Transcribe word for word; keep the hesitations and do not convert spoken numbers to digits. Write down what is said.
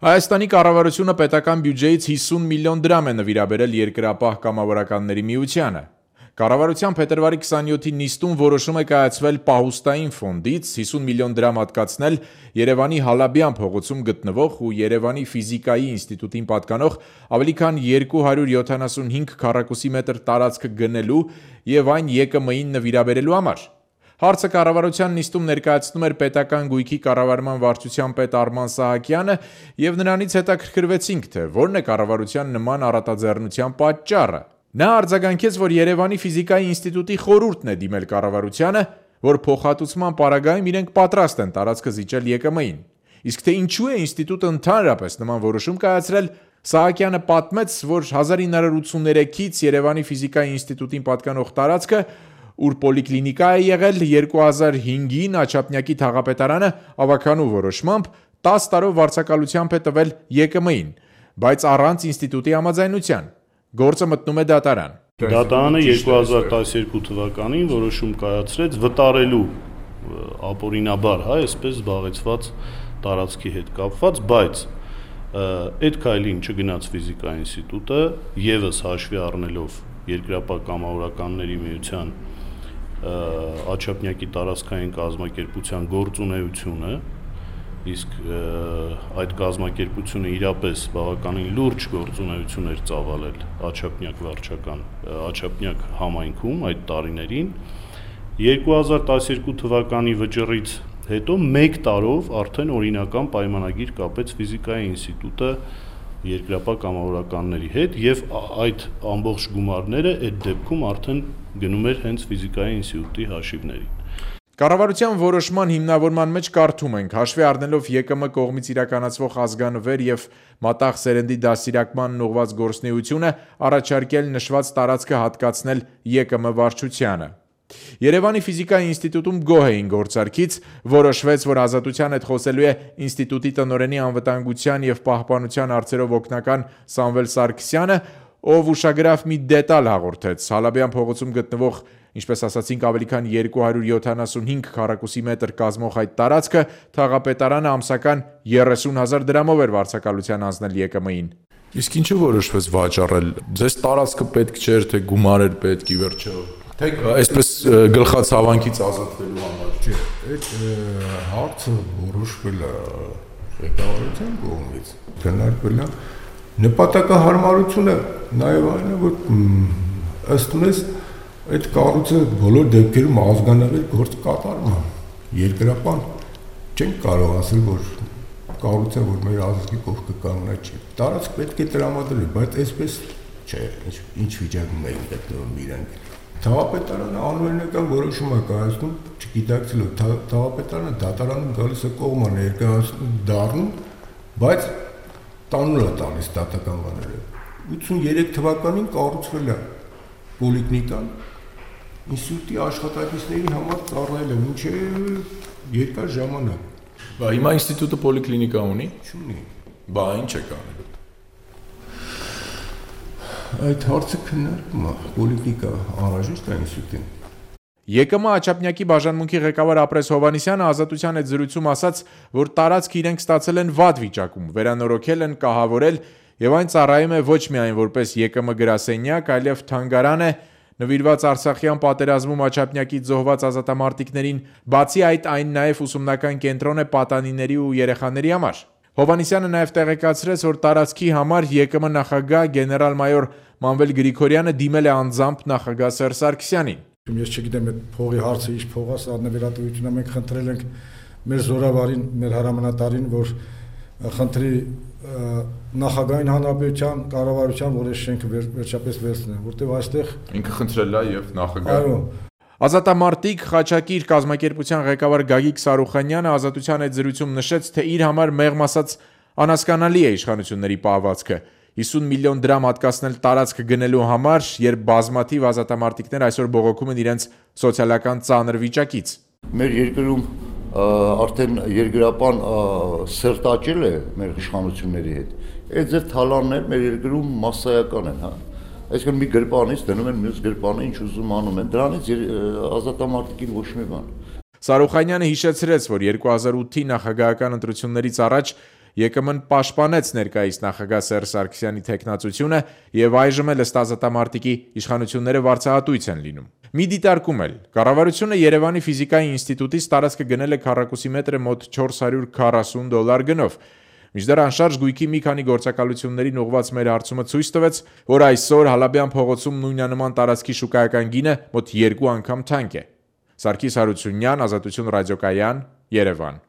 Հայաստանի կառավարությունը պետական բյուջեից հիսուն միլիոն դրամ է նվիրաբերել Երկրապահ կամավորականների միությանը։ Կառավարության փետրվարի քսանյոթի նիստում որոշում է կայացվել պահուստային ֆոնդից հիսուն միլիոն դրամ հատկացնել Երևանի Հալաբյան փողոցում գտնվող ու Երևանի ֆիզիկայի ինստիտուտին պատկանող ավելի քան երկու հարյուր յոթանասունհինգ քառակուսի մետր տարածքը գնելու և այն ԵԿՄ-ին նվիրաբերելու համար։ Հարցը կառավարության նիստում ներկայացնում էր պետական գույքի կառավարման վարչության պետ Արման Սահակյանը և նրանից հետաքրքրվեցինք, թե որն է կառավարության նման առատաձեռնության պատճառը։ Նա արձագանքեց, որ Երևանի ֆիզիկայի ինստիտուտի խորհուրդն է դիմել կառավարությանը, որ փոխհատուցման պարագայում իրենք պատրաստ են տարածքը զիջել ԵԿՄ-ին։ Իսկ թե ինչու է ինստիտուտը ընդհանրապես նման որոշում կայացրել, Սահակյանը պատմեց, որ հազար ինը հարյուր ութսուններեքից Երևանի ֆիզիկայի ինստիտուտին պատկանող տարածքը, ուր պոլիկլինիկա է եղել, երկու հազար հինգին Աչափնյակի թաղապետարանը ավագանու որոշմամբ տասը տարով վարձակալությամբ է տվել ԵԿՄ-ին, բայց առանց ինստիտուտի համաձայնության։ Գործը մտնում է դատարան։ Դատարանը երկու հազար տասներկու թվականին որոշում կայացրեց վտարելու ապօրինաբար, հա, այսպես զբաղեցված տարածքի հետ կապված, բայց այդ քայլին չգնաց ֆիզիկայի ինստիտուտը, եւս հաշվի առնելով Երկրապահ կամավորականների միության Աչափնյակի տարածքային կազմակերպության գործունեությունը, իսկ այդ կազմակերպությունը իրապես բավականին լուրջ գործունեություն էր ծավալել Աչափնյակ վարչական Աչափնյակ համայնքում այդ տարիներին, երկու հազար տասներկու թվականի վճռից հետո մեկ տարով արդեն օրինական պայմանագիր կապեց ֆիզիկայի ինստիտուտը Երկրապահ կամավորականների հետ եւ այդ ամբողջ գումարները այդ դեպքում արդեն գնում էր հենց ֆիզիկայի ինստիտուտի հաշիվներին։ Կառավարության որոշման հիմնավորման մեջ կարդում ենք, հաշվի առնելով ԵԿՄ կողմից իրականացվող ազգանվեր եւ մատաղ սերնդի դաստիարակմանն ուղղված գործունեությունը, առաջարկել նշված տարածքը հատկացնել ԵԿՄ վարչությանը։ Երևանի ֆիզիկայի ինստիտուտում գոհ էին գործարքից, որոշվեց, որ ազատության հետ խոսելու է ինստիտուտի տնօրենի անվտանգության եւ պահպանության հարցերով օգնական Սամվել Սարգսյանը, ով ուշագրավ մի դետալ հաղորդեց. Հալաբյան փողոցում գտնվող, ինչպես ասացինք, ավելի քան երկու հարյուր յոթանասունհինգ քառակուսի մետր կազմող այդ տարածքը թաղապետարանը ամսական երեսուն հազար դրամով էր վարձակալության անցնել ԵԿՄ-ին։ Իսկ ինչու որոշվեց վաճառել։ Ձեզ տարածքը պետք չէր, թե գումար էր պետք ի վերջո։ Թե այսպես գլխացավանքից ազատվելու համար։ Չէ, այդ հարցը որոշվել է ղեկավարության կողմից, քննարկվել է նպատակահարմարությունը նաև այն է, որ ըստ մեզ այդ կառույցը բոլոր դեպքերում ազգանավեր գործ կատարում է։ Երկրապահ չենք կարող ասել, որ կառույցը, որ մեր ազգի կողքը կանգնած չի։ Տարածք պետք է տրամադրել, բայց այսպես չէ, ինչ ինչ վիճակում էին գտնվում իրենք։ Թաղապետարանը անօրինական որոշում է կայացնում, չգիտակցելով, թաղապետարանը դատարանում գալիս է կողմը ներկայացնում դառնում, բայց տանուլ է տալիս դատական բաները։ ութսուներեք թվականին կառուցվել է պոլիկլինիկան, ինստիտուտի աշխատակիցների համար ծառայել է մինչև երկար ժամանակ։ Բա հիմա ինստիտուտը պոլիկլինիկա ունի։ Չունի։ Բա ինչ է կանել։ Այդ հարցը քննարկում է, պոլիկլինիկա անհրաժեշտ է ինստիտուտին։ ԵԿՄ Աչափնյակի բաժանմունքի ղեկավար Ապրես Հովհաննիսյանը ազատության հետ զրույցում ասաց, որ տարածքը իրենք ստացել են վատ վիճակում, վերանորոգել են, կահավորել եւ այն ծառայում է ոչ միայն որպես ԵԿՄ գրասենյակ, այլև թանգարան է, նվիրված Արցախյան պատերազմում Աչափնյակից զոհված ազատամարտիկներին, բացի այդ այն նաեւ ուսումնական կենտրոն է պատանիների ու երեխաների համար։ Հովհաննիսյանը նաև տեղեկացրեց, որ տարածքի համար ԵԿՄ նախագահ գեներալ-մայոր Մանվել Գրիգորյանը դիմել է անձամբ նախագահ Սերժ Սարգսյանին։ Ես չգիտեմ այդ փողի հարցը ինչ փող է, սա նվիրատվությունը մենք խնդրել ենք մեր զորավարին, մեր հրամանատարին, որ խնդրի նախագահային հանրապետության կառավարության, որ այս շենքը վերջապես վերցնեն, որտեղ այստեղ ինքը խնդրել է եւ նախագահը։ Այո։ Ազատամարտիկ Խաչակիր կազմակերպության ղեկավար Գագիկ Սարուխանյանը ազատության այդ զրույցում նշեց, թե իր համար մեղմ ասած անհասկանալի է իշխանությունների պահվածքը։ հիսուն միլիոն դրամ հատկացնել տարածք գնելու համար, երբ բազմաթիվ ազատամարտիկներ այսօր բողոքում են իրենց սոցիալական ծանր վիճակից։ Մեր երկրում արդեն երկրապահ սերտաճել է մեր իշխանությունների հետ։ Այդ ձեր թալաններ մեր երկրում massայական են, հա։ Այսինքն մի գրպանից դնում են մյուս գրպանը, ինչ ուզում անում են, դրանից ազատամարտիկին ոչ մի բան։ Սարուխանյանը հիշեցրեց, որ երկու հազար ութի նախագահական ընտրություններից առաջ Ե Կ Մ-ն պաշտպանեց ներկայիս նախագահ Սերժ Սարգսյանի թեկնածությունը եւ այժմ էլ ըստ ազատամարտիկի իշխանությունները վարձահատույց են լինում։ Մի դիտարկում էլ կառավարությունը Երևանի ֆիզիկայի ինստիտուտից տարածքը գնել է քառակուսի մետրը մոտ չորս հարյուր քառասուն դոլար գնով։ Մինչդեռ անշարժ գույքի մի քանի գործակալություններին ուղղված մեր հարցումը ցույց տվեց, որ այսօր Հալաբյան փողոցում նույնանման տարածքի շուկայական գինը մոտ երկու անգամ թանկ է։ Սարգիս Հարությունյան, Ազատություն ռադիոկայան, Երևան։